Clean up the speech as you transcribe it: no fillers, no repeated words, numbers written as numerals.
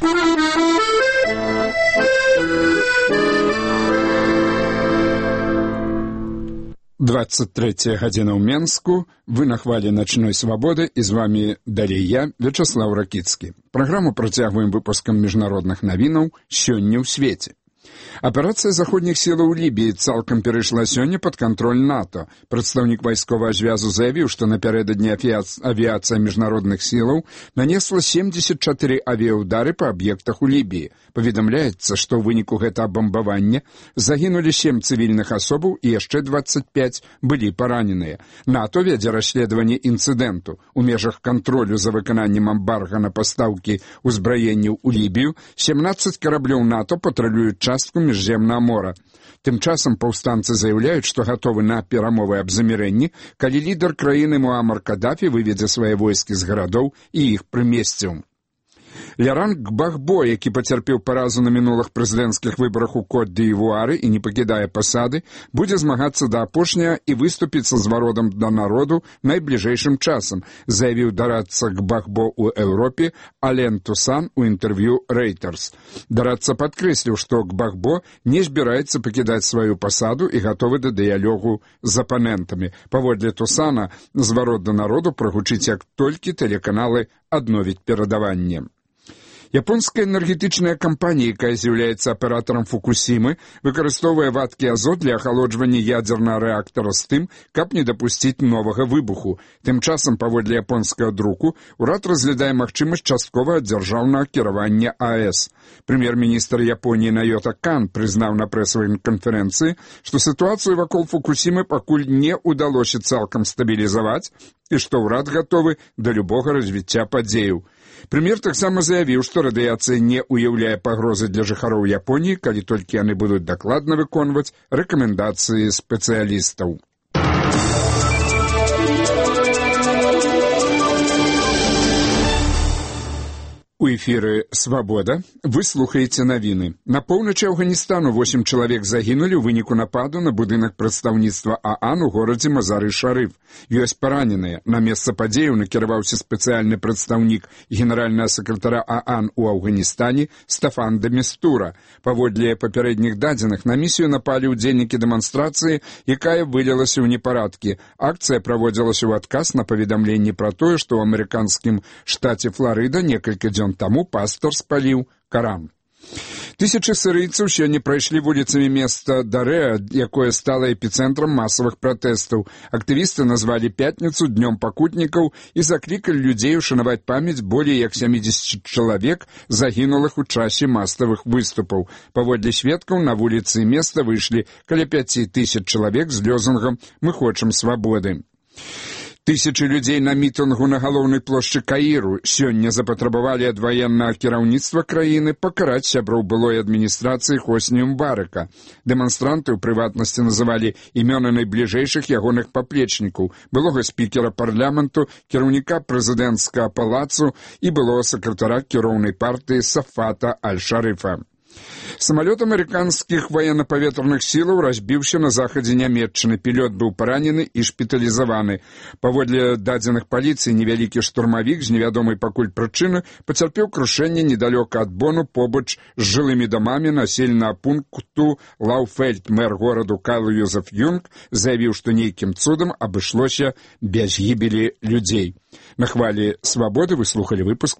«23 гадзіна ў Менску». Вы на хвалі начной свабоды, і з вами далей я, Вячеслав Ракіцкі. Праграму працягваем выпускам міжнародных навінаў «Сёння ў свеце». Аперацыя заходніх сілаў у Лібіі цалкам перайшла сёння пад кантроль НАТО. Прадстаўнік вайсковага звязу заявіў, што напярэдадні авіацыя міжнародных сілаў нанесла 74 авіяўдары па аб'ектах у Лібіі. Паведамляецца, што ў выніку гэтага бамбавання загінулі 7 цывільных асобаў і яшчэ 25 былі параненыя. НАТО вядзе расследаванне інцыдэнту. У межах кантролю за выкананнем эмбарга на пастаўкі ўзбраенняў у Лібію 17 караблёў НАТО патрулююць частку міжземнага мора. Тым часам паўстанцы заяўляюць, што гатовы на перамовы аб замірэнні, калі лідар краіны Муамар Кадафі выведзе свае войскі з гарадоў і іх прымесціў. Ляран Гбагбо, які пацярпеў паразу на мінулых прэзідэнцкіх выбарах у Кот-д'Івуары і не пакідае пасады, будзе змагацца да апошняга і выступіць са зваротам да народу найбліжэйшым часам, заявіў дарадца Гбагбо ў Еўропе Ален Тусан у інтэрв'ю Reuters. Дарадца падкрэсліў, што Гбагбо не збіраецца пакідаць сваю пасаду і гатовы да дыялогу з апанентамі. Паводле Тусана, зварот да народу прагучыць, як толькі тэлеканалы адновяць перадаванне. Японская энергетычная кампанія, якая з'яўляецца аператарам Фукусімы, выкарыстоўвае вадкі азот для ахалоджвання ядзернага рэактара з тым, каб не дапусціць новага выбуху. Тым часам, паводле японскага друку, урад разглядае магчымасць частковага дзяржаўнага кіравання АЭС. Прэм'ер-міністр Японіі Найота Кан прызнаў на прэсавай канферэнцыі, што сітуацыю вакол Фукусімы пакуль не ўдалося цалкам стабілізаваць і што ўрад гатовы да любога развіцця падзеяў. Прэм'ер таксама заявіў, што радыяцыя не ўяўляе пагрозы для жыхароў Японіі, калі толькі яны будуць дакладна выконваць рэкамендацыі спецыялістаў. У эфіры «Свабода» вы слухаеце навіны. На поўначы Афганістану 8 чалавек загінулі ў выніку нападу на будынак прадстаўніцтва ААН у горадзе Мазары-Шарыф. Ёсць параненыя. На месца падзеяў накіраваўся спецыяльны прадстаўнік генеральнага сакратара ААН у Афганістане Стафан де Містура. Паводле папярэдніх дадзеных, на місію напалі ўдзельнікі дэманстрацыі, якая вылілася ў непарадкі. Акцыя праводзілася ў адказ на паведамленні пра тое, што ў амерыканскім штаце Фларыда некалькі дзён таму пастор спаліў Каран. Тысячы сірыйцаў сёння прайшлі вуліцамі места Дарэа, якое стала эпіцэнтрам масавых пратэстаў. Актывісты назвалі пятніцу днём пакутнікаў і заклікалі людзей ушанаваць памяць болей як 70 чалавек, загінулых у часе масавых выступаў. Паводле сведкаў, на вуліцы места выйшлі каля 5000 чалавек з лозунгам «Мы хочам свабоды». Тысячы людзей на мітынгу на галоўнай плошчы Каіру сёння запатрабавалі ад ваеннага кіраўніцтва краіны пакараць сяброў былой адміністрацыі Хосні Мубарака. Дэманстранты ў прыватнасці называлі імёны найбліжэйшых ягоных паплечнікаў, былога спікера парламенту, кіраўніка прэзідэнцкага палацу і былога сакратара кіроўнай партыі Сафата Аль-Шарыфа. Самалёт амерыканскіх военно-паветраных сілаў разбіўся на захадзе Нямецчыны. Пілот быў паранены і шпіталізаваны. Паводле дадзеных паліцыі, невялікі штурмавік з невядомай пакуль прычыны пацярпеў крушэнне недалёка ад Бону побач з жылымі дамамі населенага пункту Лауфельд. Мэр гораду Карл Юзеф Юнг заявіў, што нейкім цудам абышлося без гібелі людзей. На хвалі «Свабоды» вы слухалі выпуск